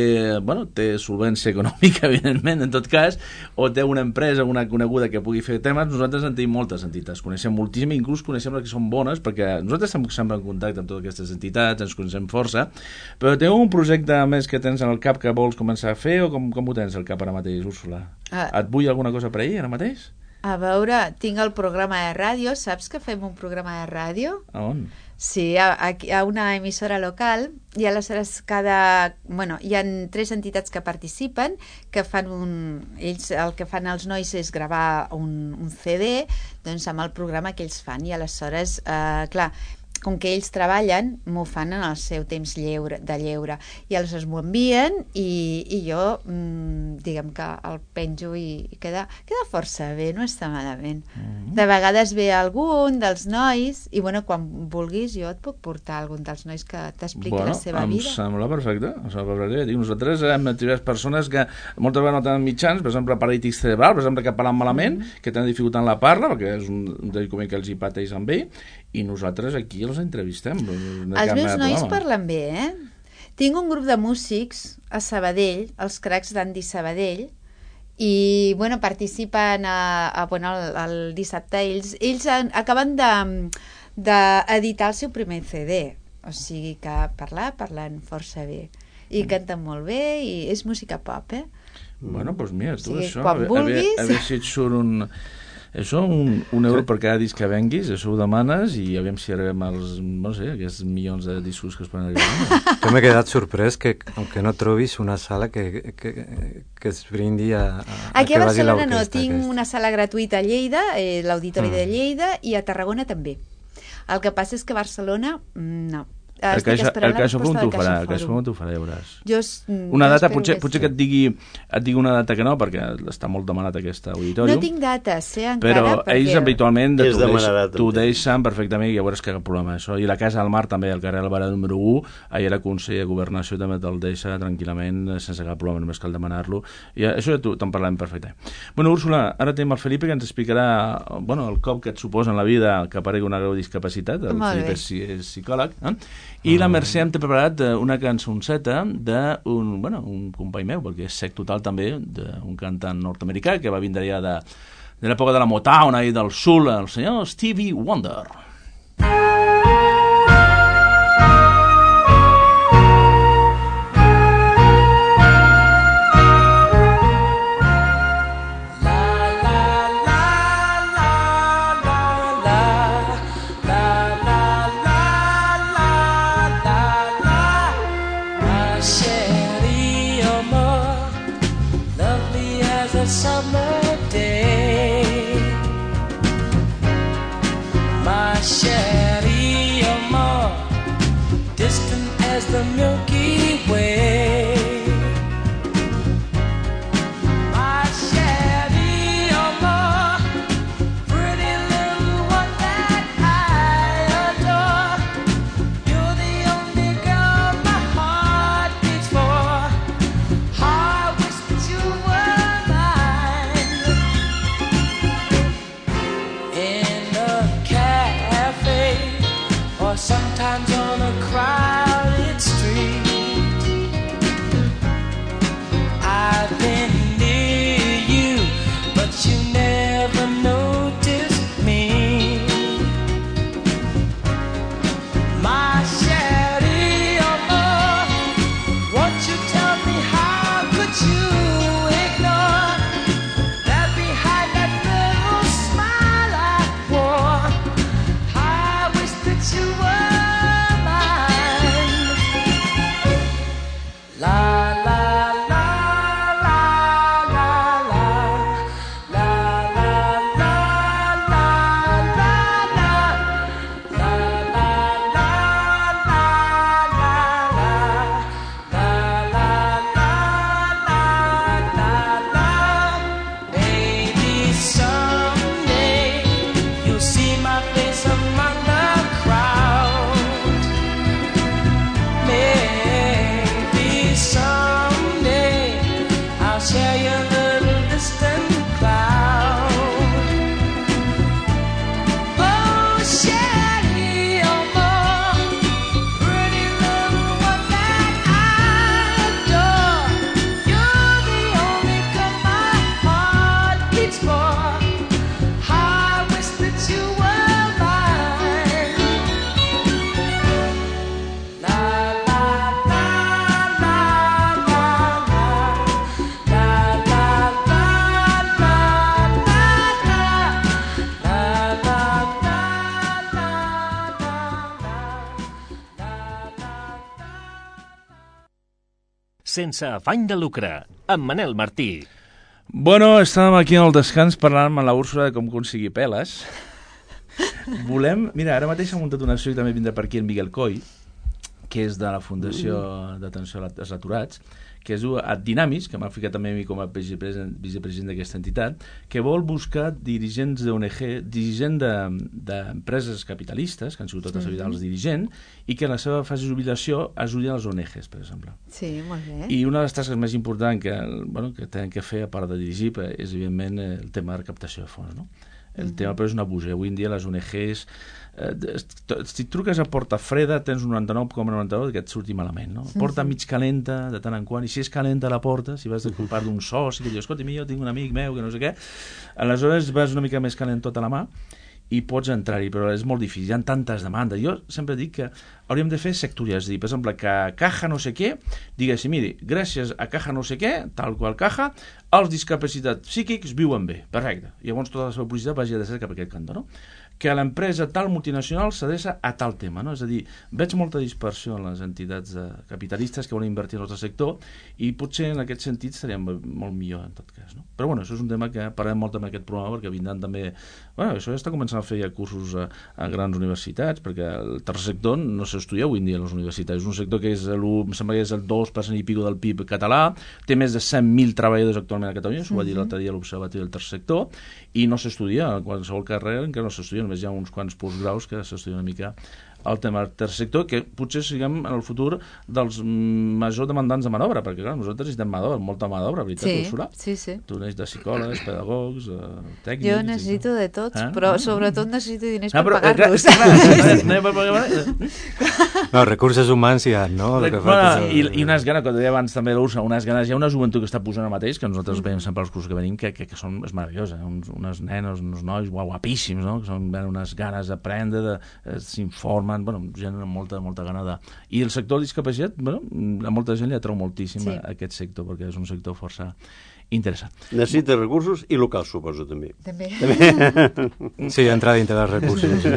bueno, té solvència econòmica, evidentment, en tot cas, o té una empresa, una coneguda que pugui fer temes, nosaltres en tenim moltes entitats, coneixem moltíssim, inclús coneixem les que són bones, perquè nosaltres estem sempre en contacte amb totes aquestes entitats, ens coneixem força, però teniu un projecte més que tens en el cap que vols començar a fer o com, com ho tens al cap ara mateix, Úrsula? Ah. Et vull alguna cosa per ahir ara mateix? A veure, tinc el programa de ràdio. Saps que fem un programa de ràdio? A on? Sí, a, a una emissora local, i aleshores cada... Bueno, hi ha tres entitats que participen, que fan un... Ells el que fan els nois és gravar un, un C D, doncs amb el programa que ells fan, i aleshores, eh, clar, com que ells treballen, m'ho fan en el seu temps lleure, de lleure, i aleshores m'ho envien i, i jo, mmm, diguem que el penjo i, i queda, queda força bé, no està malament. Mm-hmm. De vegades ve algun dels nois i, bueno, quan vulguis jo et puc portar algun dels nois que t'expliqui bueno, la seva vida. Bueno, em sembla perfecte. Em sembla perfecte. Dic, nosaltres hem trobat persones que moltes vegades no tenen mitjans, per exemple, paràlitis cerebral, per exemple, que parlen malament, mm-hmm. que tenen dificultat en la parla, perquè és un dedicament que els hi pateix amb ell, i nosaltres aquí els entrevistem. Els meus nois parlen bé, eh? Tinc un grup de músics a Sabadell, els cracs d'Andy Sabadell, i, bueno, participen a, a, bueno, el, el dissabte. Ells, ells han, acaben d'editar de, el seu primer C D, o sigui que parlar, parlen força bé. I canten molt bé, i és música pop, eh? Bueno, doncs mira, tu, o sigui, això, quan a, vulguis... a, a veure si et surt un... Això, un, un euro per cada disc que venguis, això ho demanes i aviam si arribem als, no sé, aquests milions de discos que es poden arribar. Jo m'he quedat sorprès que, aunque no trobis una sala que, que, que es brindi a, a, Aquí a a Barcelona no, tinc aquesta. una sala gratuïta a Lleida, eh, l'Auditori mm. de Lleida, i a Tarragona també. El que passa és que a Barcelona, no. El CaixaForum t'ho farà, el CaixaForum t'ho farà, ja veuràs. Jo, una data, potser, potser que et digui, et digui una data que no, perquè està molt demanat aquest auditori. No tinc dates, eh, encara. Però perquè... ells habitualment t'ho deix, deixen perfectament i ja veuràs que cap problema això. I la Casa del Mar també, el carrer Alvarado número u, ahir la Consell de Governació també te'l deixa tranquil·lament, sense cap problema, només cal demanar-lo. I això ja te'n parlem perfectament. Bueno, Úrsula, ara tenim el Felipe que ens explicarà, bueno, el cop que et suposa en la vida que aparegui una greu discapacitat. El Felipe és, és psicòleg, eh? I la Mercè hem preparat una cançonceta d'un, bueno, un company meu, perquè és sec total també, d'un cantant nord-americà que va vindre ja de, de l'època de la Motown i del soul, el senyor Stevie Wonder. Summer day, my Sherry, you're more distant as the Milky Way. My Sherry, you're more pretty little one that I adore. You're the only girl my heart beats for. I wish that you were in a cafe sense afany de lucre, amb Manel Martí. Bueno, estàvem aquí en el descans parlant amb la Úrsula de com aconseguir peles. Volem... Mira, ara mateix s'ha muntat una acció i també vindrà per aquí en Miguel Coll, que és de la Fundació d'Atenció als Aturats, que es diu Dinamis, que m'ha ficat també a mi com a vicepresident, vicepresident d'aquesta entitat, que vol buscar dirigents d'O N G, dirigents d'empreses capitalistes, que han sigut tota la vida els dirigents, i que en la seva fase de jubilació ajudin als O N Gs, per exemple. Sí, molt bé. I una de les tasques més importants que, bueno, que tenen que fer, a part de dirigir, és, evidentment, el tema de recaptació de fons, no? El tema, però, és una abusa. Avui en dia les O N Gs... Eh, si truques a porta freda tens un noranta-nou coma noranta-nou que et surti malament, no? Porta mig calenta de tant en quant, i si és calenta la porta, si vas de part d'un soci que diu, escolta, jo tinc un amic meu que no sé què, aleshores vas una mica més calent tota la mà i pots entrar-hi, però és molt difícil, hi ha tantes demandes. Jo sempre dic que hauríem de fer sectorials, és a dir, per exemple, que Caja no sé què diguéssim, miri, gràcies a Caja no sé què, tal qual Caja, els discapacitats psíquics viuen bé, perfecte. I llavors tota la seva publicitat vagi a ser cap a aquest cantó, no? Que a l'empresa tal multinacional s'adreça a tal tema, no? És a dir, veig molta dispersió en les entitats eh, capitalistes que volen invertir en el nostre sector i potser en aquest sentit seria molt millor en tot cas, no? Però bueno, això és un tema que parlem molt amb aquest programa perquè vindran també... Bueno, això ja està començant a fer ja cursos a, a grans universitats, perquè el tercer sector no s'estudia avui en dia a les universitats, és un sector que és el, em sembla que és el dos per cent i pico del P I B català, té més de cent mil treballadors actualment a Catalunya, s'ho va dir l'altre dia l'Observatori del tercer sector, i no s'estudia a qualsevol carrera en què no s'estudia, només hi ha uns quants postgraus que s'estudien una mica el tema del tercer sector, que potser siguem en el futur dels majors demandants de mà d'obra, perquè clar, nosaltres necessitem mà d'obra, molta mà d'obra, veritat, sí, Úrsula? Sí, sí. Tu necessites psicòlegs, pedagogs, eh, tècnics... Jo necessito de tots, eh? però sobretot necessito diners ah, per però, pagar-los. No, recursos humans hi ha, no? Re bueno, i, I unes ganes, com deia abans també l'Úrsula, unes ganes, hi ha una joventut que està posant ara mateix, que nosaltres veiem sempre els cursos que venim, que, que, que són, és meravellós, eh? Uns, unes nenes, uns nois guapíssims, no? Que són unes ganes d'aprendre, de, eh, s'informen, bueno, gent amb molta, molta gana de... I el sector de discapacitat, bueno, a molta gent li atrau moltíssim sí. a aquest sector, perquè és un sector força interessant. Necessita recursos i locals, suposo, també. També. Sí, entrar dintre dels recursos.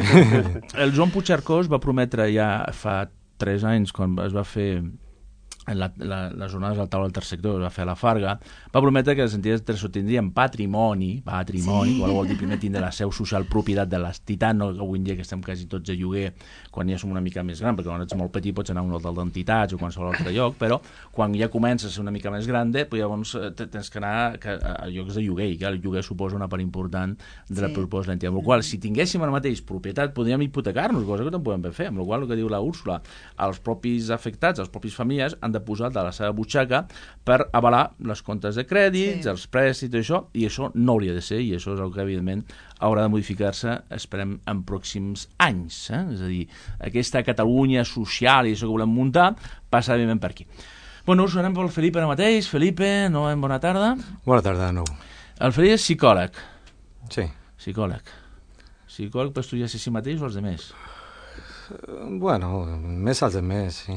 El Joan Puigcercós va prometre ja fa tres anys, quan es va fer la, la, les jornades al taula del tercer sector, es va fer a la Farga, va prometre que les entitats tercer tindrien patrimoni, patrimoni, sí. Qual vol dir primer tindre la seu social, propietat de les Titan, no que avui en dia que estem quasi tots a lloguer, quan ja som una mica més gran, perquè quan ets molt petit pots anar a un hotel d'entitats o qualsevol altre lloc, però quan ja comences a ser una mica més gran, pues llavors tens que anar a llocs de lloguer, i que el lloguer suposa una part important de la sí. proposta de l'entitat. Amb la qual, si tinguéssim ara mateix propietat, podríem hipotecar-nos, cosa que no podem fer. Amb la qual, el que diu la Úrsula, els propis afectats, els propis famílies, han de posar de la seva butxaca per avalar les comptes de crèdits, sí. els prèstits i això, i això no hauria de ser, i això és el que evidentment haurà de modificar-se, esperem, en pròxims anys. Eh? És a dir, aquesta Catalunya social i això que volem muntar passa evidentment per aquí. Bueno, us anem pel Felipe ara mateix. Felipe, no, bona tarda. Bona tarda, no. El Felipe és psicòleg. Sí. Psicòleg. Psicòleg per estudiar-se a si mateix o els demés? Bueno, més als demés, sí.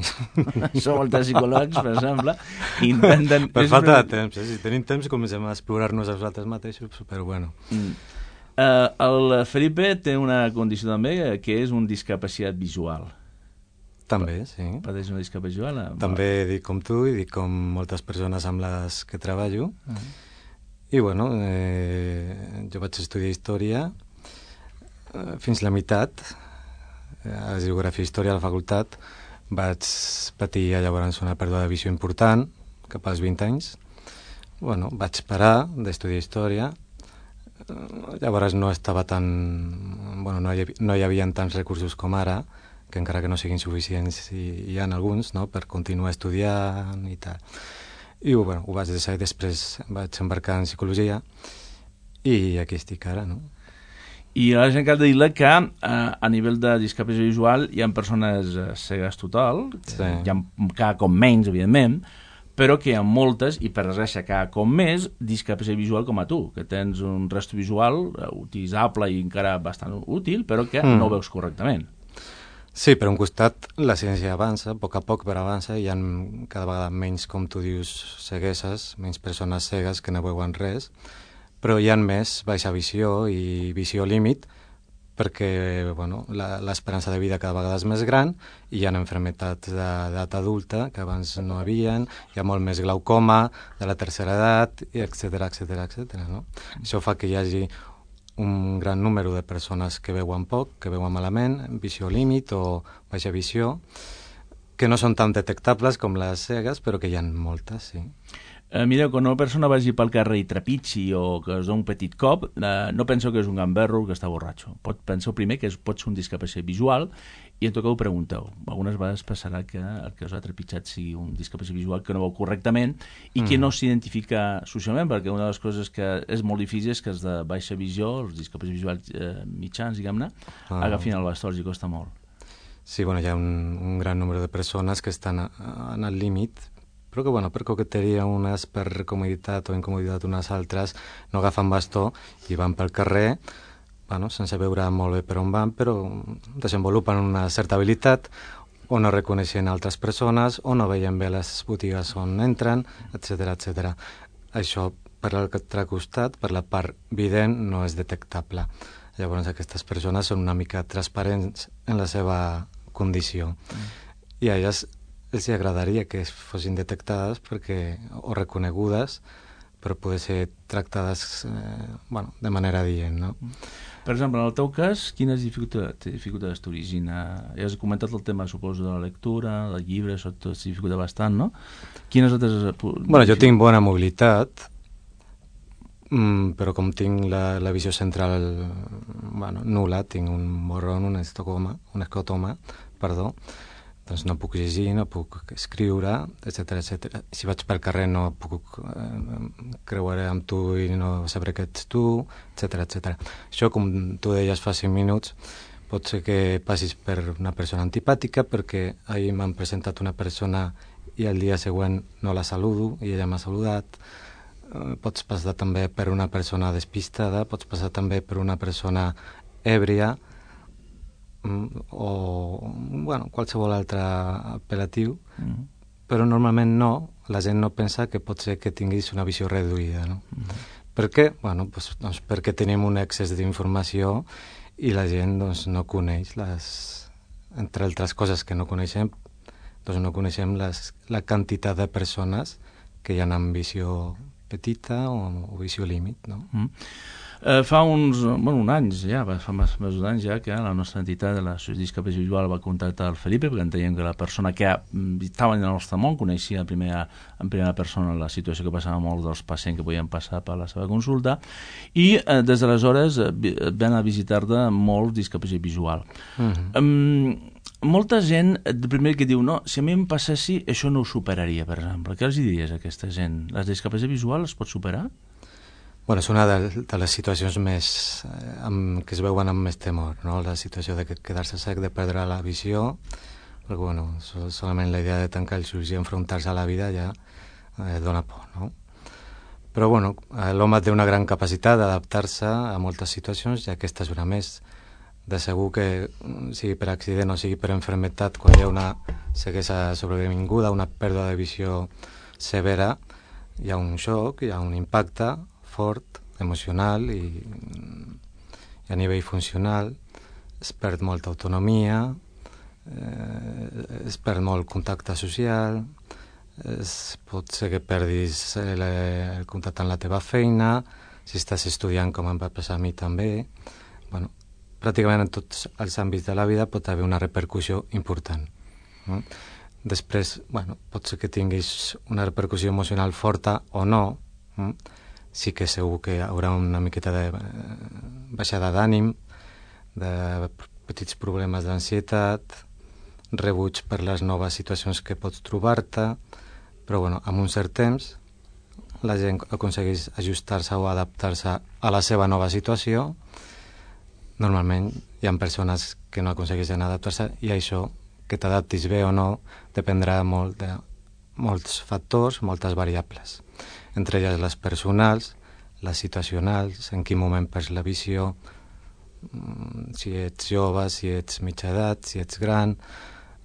Som moltes psicòlegs, per exemple, intenten... Per falta de temps, eh? Si tenim temps comencem a explorar-nos els altres mateixos, però bueno. Mm. Uh, el Felipe té una condició també, que és un discapacitat visual. També, sí. Pateix una discapacitat visual? Eh? També dic com tu i dic com moltes persones amb les que treballo. Uh -huh. I bueno, eh, jo vaig estudiar història eh, fins la meitat, a geografia i història a la facultat. Vaig patir llavors una pèrdua de visió important, cap als vint anys. Bueno, vaig parar d'estudiar història. Llavors no estava tan... Bueno, no hi, havia, no hi havia tants recursos com ara, que encara que no siguin suficients hi, hi ha alguns, no?, per continuar estudiant i tal. I bueno, ho vaig deixar i després vaig embarcar en psicologia i aquí estic ara, no? I a la gent cal dir-li que eh, a nivell de discapacitat visual hi ha persones eh, cegues total, sí. Hi ha cada cop menys, evidentment, però que hi ha moltes, i per desgràcia cada cop més, discapacitat visual com a tu, que tens un rastro visual eh, utilitzable i encara bastant útil, però que mm. no veus correctament. Sí, per un costat la ciència avança, a poc a poc però avança, hi ha cada vegada menys, com tu dius, cegueses, menys persones cegues que no veuen res, però hi ha més baixa visió i visió límit, perquè bueno, l'esperança de vida cada vegada és més gran i hi ha malalties d'edat adulta que abans no havien, hi ha molt més glaucoma de la tercera edat, etcètera, etcètera, etcètera, no? Això fa que hi hagi un gran número de persones que veuen poc, que veuen malament, visió límit o baixa visió, que no són tan detectables com les cegues, però que hi ha moltes, sí. Eh, mireu, quan una persona vagi pel carrer i trepitgi o que es doni un petit cop, eh, no penso que és un gamberro que està borratxo. Pot, penseu primer que és, pot ser un discapacitat visual i en tot cas ho pregunteu. Algunes vegades passarà que el que us ha trepitjat sigui un discapacitat visual que no veu correctament i que mm. no s'identifica socialment, perquè una de les coses que és molt difícil és que els de baixa visió, els discapacitats visuals eh, mitjans, diguem-ne, ah. agafin el bastó, els costa molt. Sí, bueno, hi ha un, un gran número de persones que estan a, a, en el límit, però que, bueno, per coqueteria unes, per comoditat o incomoditat unes altres, no agafen bastó i van pel carrer, bueno, sense veure molt bé per on van, però desenvolupen una certa habilitat o no reconeixen altres persones o no veien bé les botigues on entren, etcètera, etcètera. Això, per l'altre costat, per la part vident, no és detectable. Llavors, aquestes persones són una mica transparents en la seva condició. Mm. I a elles els agradaria que fossin detectades perquè, o reconegudes, però poder ser tractades eh, bueno, de manera dient, no? Per exemple, en el teu cas, quines dificultats, dificultats t'origina? Ja has comentat el tema, suposo, de la lectura, del llibre, això tot s'hi dificulta bastant, no? Quines altres... Bueno, jo tinc bona mobilitat, mm, però com tinc la, la visió central bueno, nul·la, tinc un borrón, un estocoma, un escotoma, perdó, doncs no puc llegir, no puc escriure, etcètera, etcètera. Si vaig pel carrer no puc eh, creuar amb tu i no sabré que ets tu, etcètera, etcètera. Això, com tu deies fa cinc minuts, pot ser que passis per una persona antipàtica perquè ahir m'han presentat una persona i el dia següent no la saludo i ella m'ha saludat. Eh, pots passar també per una persona despistada, pots passar també per una persona èbria, o bueno, qualsevol altre apel·latiu, mm. però normalment no, la gent no pensa que pot ser que tinguis una visió reduïda, no? Mm. Per què? Bueno, doncs, doncs perquè tenim un excés d'informació i la gent doncs, no coneix les, entre altres coses que no coneixem, doncs no coneixem les, la quantitat de persones que hi ha amb visió petita o, o visió límit, no? Mm. Eh, fa uns, bueno, uns anys ja, fa més, més anys ja que la nostra entitat de la Discapacitat Visual va contactar el Felipe perquè enteníem que la persona que estava en el nostre món coneixia en primera, en primera persona la situació que passava molts dels pacients que podien passar per la seva consulta i eh, des d'aleshores eh, van a visitar-te molt discapacitat visual. Mm-hmm. Um, molta gent, el primer que diu, no, si a mi em passessi, això no ho superaria, per exemple. Què els diries a aquesta gent? La discapacitat visual es pot superar? Bueno, és una de, de les situacions més eh, amb, que es veuen amb més temor, no? La situació de quedar-se sec, de perdre la visió, perquè, bueno, sol, solament la idea de tancar els ulls i enfrontar-se a la vida ja eh, dona por, no? Però, bueno, eh, l'home té una gran capacitat d'adaptar-se a moltes situacions i aquesta és una més. De segur que, sigui per accident o sigui per enfermetat, quan hi ha una ceguesa sobrevinguda, una pèrdua de visió severa, hi ha un xoc, hi ha un impacte fort, emocional i, i a nivell funcional es perd molta autonomia, eh, es perd molt contacte social, es, pot ser que perdis el, el contacte amb la teva feina, si estàs estudiant com em va passar a mi també. Bueno, pràcticament en tots els àmbits de la vida pot haver una repercussió important. No? Després, bueno, pot ser que tinguis una repercussió emocional forta o no, no? Sí que segur que hi haurà una miqueta de baixada d'ànim, de petits problemes d'ansietat, rebuig per les noves situacions que pots trobar-te, però bueno, amb un cert temps la gent aconsegueix ajustar-se o adaptar-se a la seva nova situació. Normalment hi ha persones que no aconsegueixen adaptar-se i això, que t'adaptis bé o no, dependrà molt de molts factors, moltes variables. Entre elles les personals, les situacionals, en quin moment perds la visió, si ets jove, si ets mitja edat, si ets gran,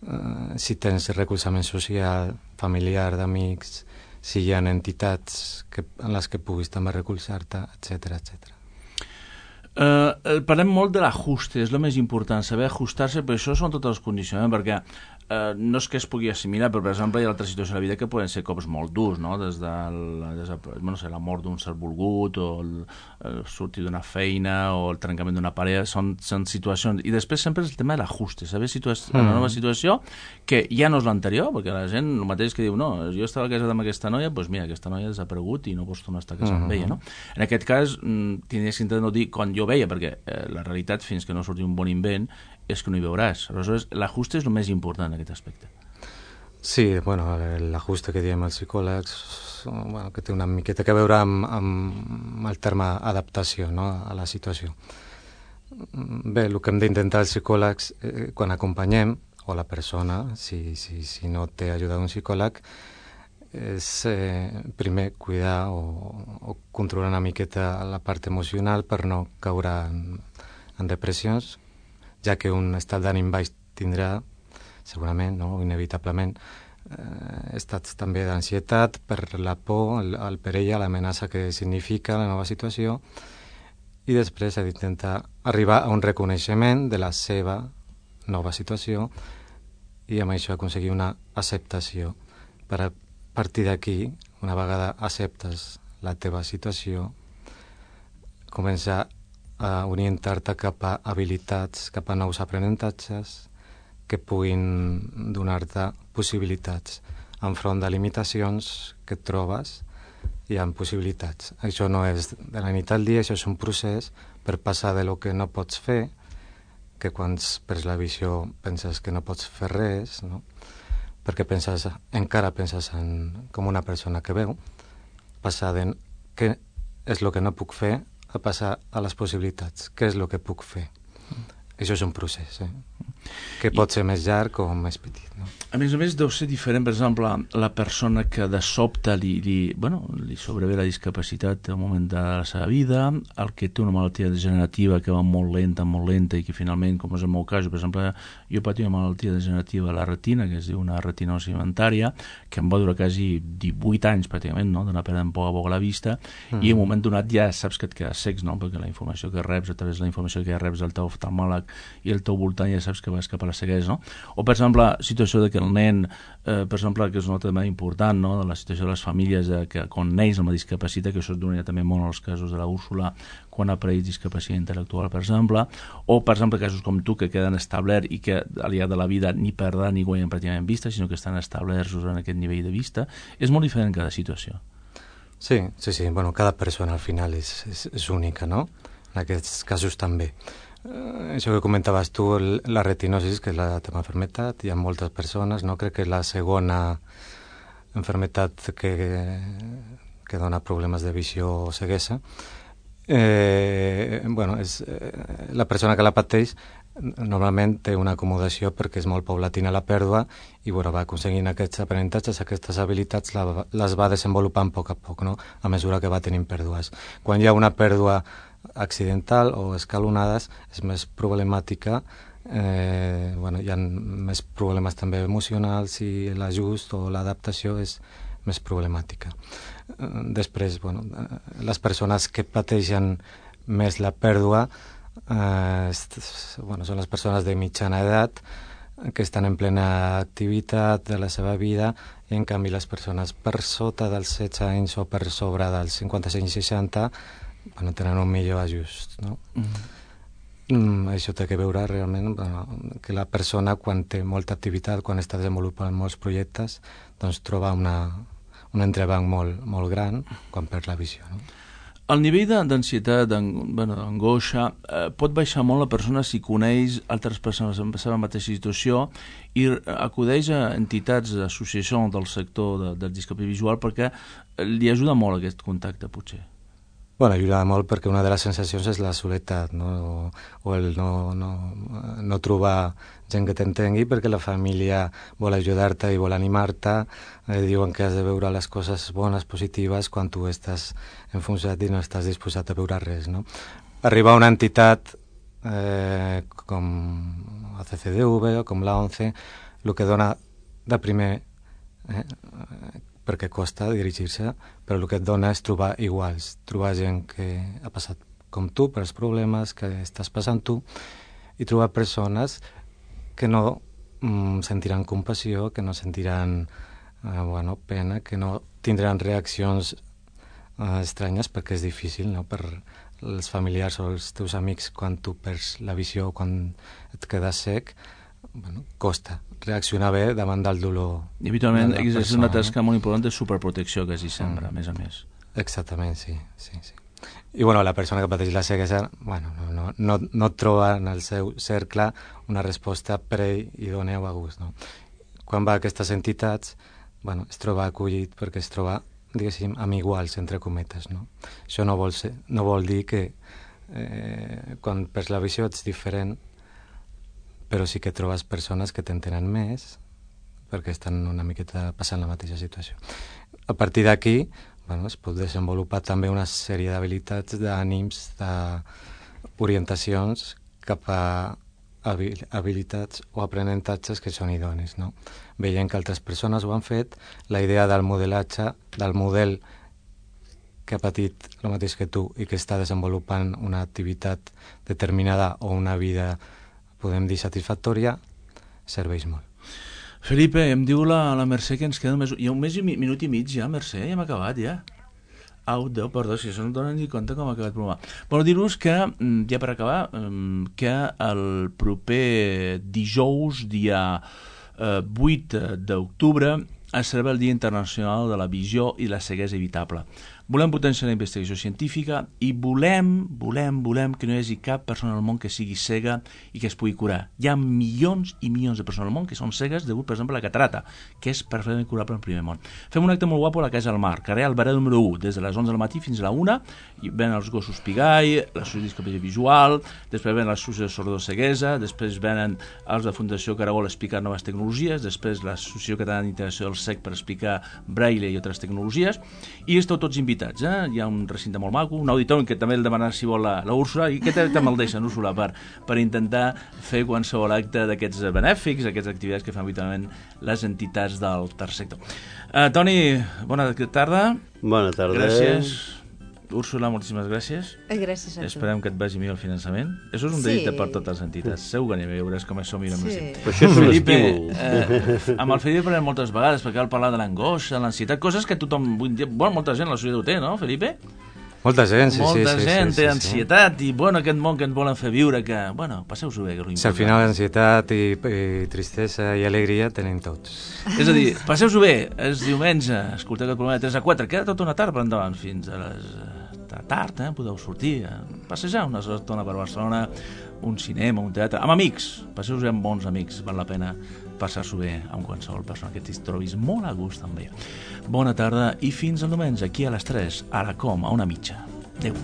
eh, si tens recolzament social, familiar, d'amics, si hi ha entitats que, en les que puguis també recolzar-te, etcètera, etcètera. Uh, parlem molt de l'ajuste, és el més important, saber ajustar-se, però això són tots els condicionaments, perquè uh, no és que es pugui assimilar, però per exemple hi ha altres situacions de la vida que poden ser cops molt durs, no? Des de la, des de, no sé, la mort d'un ser volgut, o el, el sortir d'una feina, o el trencament d'una parella, són, són situacions, i després sempre és el tema de l'ajuste, saber situar mm. una nova situació que ja no és l'anterior, perquè la gent el mateix que diu, no, jo estava casat amb aquesta noia, doncs mira, aquesta noia ha desaparegut i no pots tornar a estar casat mm. amb ella, no? En aquest cas, tindries que intentar no dir quan jo veia, perquè eh, la realitat, fins que no surti un bon invent, és que no hi veuràs. Aleshores, l'ajuste és el més important en aquest aspecte. Sí, bueno, l'ajuste que diem els psicòlegs, bueno, que té una miqueta que veure amb, amb el terme adaptació, no?, a la situació. Bé, el que hem d'intentar els psicòlegs, eh, quan acompanyem, o la persona, si, si, si no té ajuda d'un psicòleg, és eh, primer cuidar o, o controlar una miqueta la part emocional per no caure en, en depressions, ja que un estat d'ànim baix tindrà, segurament, no, inevitablement, eh, estats també d'ansietat per la por, el, el perill, l'amenaça que significa la nova situació, i després ha d'intentar arribar a un reconeixement de la seva nova situació i amb això aconseguir una acceptació per a a partir d'aquí, una vegada acceptes la teva situació, començar a orientar-te cap a habilitats, cap a nous aprenentatges que puguin donar-te possibilitats enfront de limitacions que et trobes hi ha possibilitats. Això no és de la nit al dia, això és un procés per passar de lo que no pots fer, que quan perds la visió penses que no pots fer res, no?, perquè penses, encara penses en, com una persona que veu, passar de què és el que no puc fer a passar a les possibilitats, què és el que puc fer. Això és un procés, eh? que pot ser més llarg o més petit. No? A més a més, deu ser diferent, per exemple, la persona que de sobte li, li, bueno, li sobrevé la discapacitat en un moment de la seva vida, el que té una malaltia degenerativa que va molt lenta, molt lenta, i que finalment, com és el meu cas, per exemple, jo patia una malaltia degenerativa a la retina, que es diu una retinosi inventària, que em va durar quasi divuit anys, pràcticament, no?, d'anar perdent poc a poc la vista, mm. i en un moment donat ja saps que et quedes secs, no?, perquè la informació que reps, a través de la informació que reps del teu oftalmòleg i el teu voltant, ja saps que vas cap a la ceguesa, no? O, per exemple, la situació de que el nen, eh, per exemple, que és una tema important, no?, de la situació de les famílies, de que quan neix amb la discapacitat, que això es donaria també molt als casos de la Úrsula, quan ha apareix discapacitat intel·lectual, per exemple, o, per exemple, casos com tu, que queden establerts i que al llarg de la vida ni perden ni guanyen pràcticament vista, sinó que estan establerts en aquest nivell de vista, és molt diferent cada situació. Sí, sí, sí. Bueno, cada persona al final és, és, és única, no? En aquests casos també. Eh, això que comentaves tu, la retinosis, que és la teva malaltia, hi ha moltes persones, no? Crec que és la segona malaltia que, que dona problemes de visió o ceguesa. Eh, bueno, és, eh, la persona que la pateix normalment té una acomodació perquè és molt paulatina la pèrdua i bueno, va aconseguint aquests aprenentatges, aquestes habilitats, la, les va desenvolupant a poc a poc, no?, a mesura que va tenint pèrdues. Quan hi ha una pèrdua accidental o escalonades és més problemàtica, eh, bueno, hi ha més problemes també emocionals i l'ajust o l'adaptació és més problemàtica. Després, bueno, les persones que pateixen més la pèrdua eh, bueno, són les persones de mitjana edat que estan en plena activitat de la seva vida i en canvi les persones per sota dels setze anys o per sobre dels cinquanta-cinc seixanta bueno, tenen un millor ajust, no? Mm. Mm, això té que veure realment bueno, que la persona quan té molta activitat, quan està desenvolupant molts projectes, doncs troba una, un entrebanc molt, molt gran quan perd la visió, no? El nivell d'ansietat, d'angoixa, eh, pot baixar molt la persona si coneix altres persones en la seva mateixa situació i acudeix a entitats, associacions del sector de, de discapacitat visual perquè li ajuda molt aquest contacte, potser. Bueno, ajuda molt perquè una de les sensacions és la soledat, no? o, o el no, no, no trobar gent que t'entengui perquè la família vol ajudar-te i vol animar-te, eh, diuen que has de veure les coses bones, positives, quan tu estàs enfonsat i no estàs disposat a veure res, no? Arribar a una entitat eh, com la C C D V o com l'A ONCE, el que dona de primer eh, perquè costa dirigir-se, però el que et dona és trobar iguals, trobar gent que ha passat com tu, pels problemes que estàs passant tu, i trobar persones que no mm, sentiran compassió, que no sentiran eh, bueno, pena, que no tindran reaccions eh, estranyes, perquè és difícil, no?, per els familiars o els teus amics, quan tu perds la visió o quan et quedes sec, bueno, costa reaccionar bé davant del dolor. I habitualment de la és una persona, tasca no? molt important de superprotecció que s'hi sembra, a més a més. Exactament, sí, sí, sí. I bueno, la persona que pateix la ceguesa, bueno, no, no, no, no troba en el seu cercle una resposta per ell i doneu a gust, no? Quan va a aquestes entitats, bueno, es troba acollit perquè es troba, diguéssim, amb iguals, entre cometes, no? Això no vol, ser, no vol dir que eh, quan perds la visió ets diferent, però sí que trobes persones que t'entenen més perquè estan una miqueta passant la mateixa situació. A partir d'aquí, bueno, es pot desenvolupar també una sèrie d'habilitats, d'ànims, d'orientacions cap a habilitats o aprenentatges que són idonis, no? Veient que altres persones ho han fet, la idea del modelatge, del model que ha patit el mateix que tu i que està desenvolupant una activitat determinada o una vida, podem dir, satisfactòria, serveix molt. Felipe, em diu la, la Mercè que ens queda més... Hi ha un mes i mi, minut i mig ja, Mercè, ja hem acabat, ja. Au, Déu, perdó, si això no em donen ni compte com ha acabat el programa. Però dir-vos que, ja per acabar, que el proper dijous, dia vuit d'octubre, es celebra el Dia Internacional de la Visió i la Ceguesa Evitable. Volem potenciar la investigació científica i volem, volem, volem que no hi hagi cap persona al món que sigui cega i que es pugui curar. Hi ha milions i milions de persones al món que són cegues degut, per exemple, a la catarata, que és perfectament curable en primer món. Fem un acte molt guapo a la Casa del Mar, carrer Albarà número u, des de les onze del matí fins a la una, i venen els gossos Pigai, l'associació de discapacitat visual, després venen l'associació de sordoceguesa, després venen els de Fundació Caragol a explicar noves tecnologies, després l'associació catalana d'integració del C E C per explicar braille i altres tecnologies, i esteu tots invitats. Eh? Hi ha un recinte molt maco, un auditori que també el demanarà si vol la, la Úrsula, i què també el deixen, Úrsula, per, per intentar fer qualsevol acte d'aquests benèfics, aquestes activitats que fan habitualment les entitats del tercer sector. Uh, Toni, bona tarda. Bona tarda. Gràcies. Úrsula, moltíssimes gràcies. Gràcies a tu. Esperem que et vagi millor el finançament. Això és un Sí. dedicte per totes les entitats. Segur que anem a veure com això mira més. Sí. Però això és un Felipe, estímul. eh, amb el Felipe parlem moltes vegades perquè cal parlar de l'angoixa, l'ansietat, coses que tothom, bueno, molta gent a la societat ho té, no, Felipe? Molta gent, sí, molta sí, sí. gent sí, té sí, ansietat i, bueno, aquest món que ens volen fer viure, que, bueno, passeu-s'ho bé, que és sí. l'important. Si al final ansietat i, i tristesa i alegria tenim tots. És a dir, passeu-s'ho bé, és diumenge, escolteu aquest programa de tres a quatre, queda tota una tarda per endavant, fins a les eh, tard, eh? Podeu sortir, a passejar una estona per Barcelona, un cinema, un teatre, amb amics, passeu-vos bé amb bons amics, val la pena passar-s'ho bé amb qualsevol persona que t'hi trobis molt a gust amb ella. Bona tarda i fins al diumenge, aquí a les tres, a la Com, a una mitja. Adéu.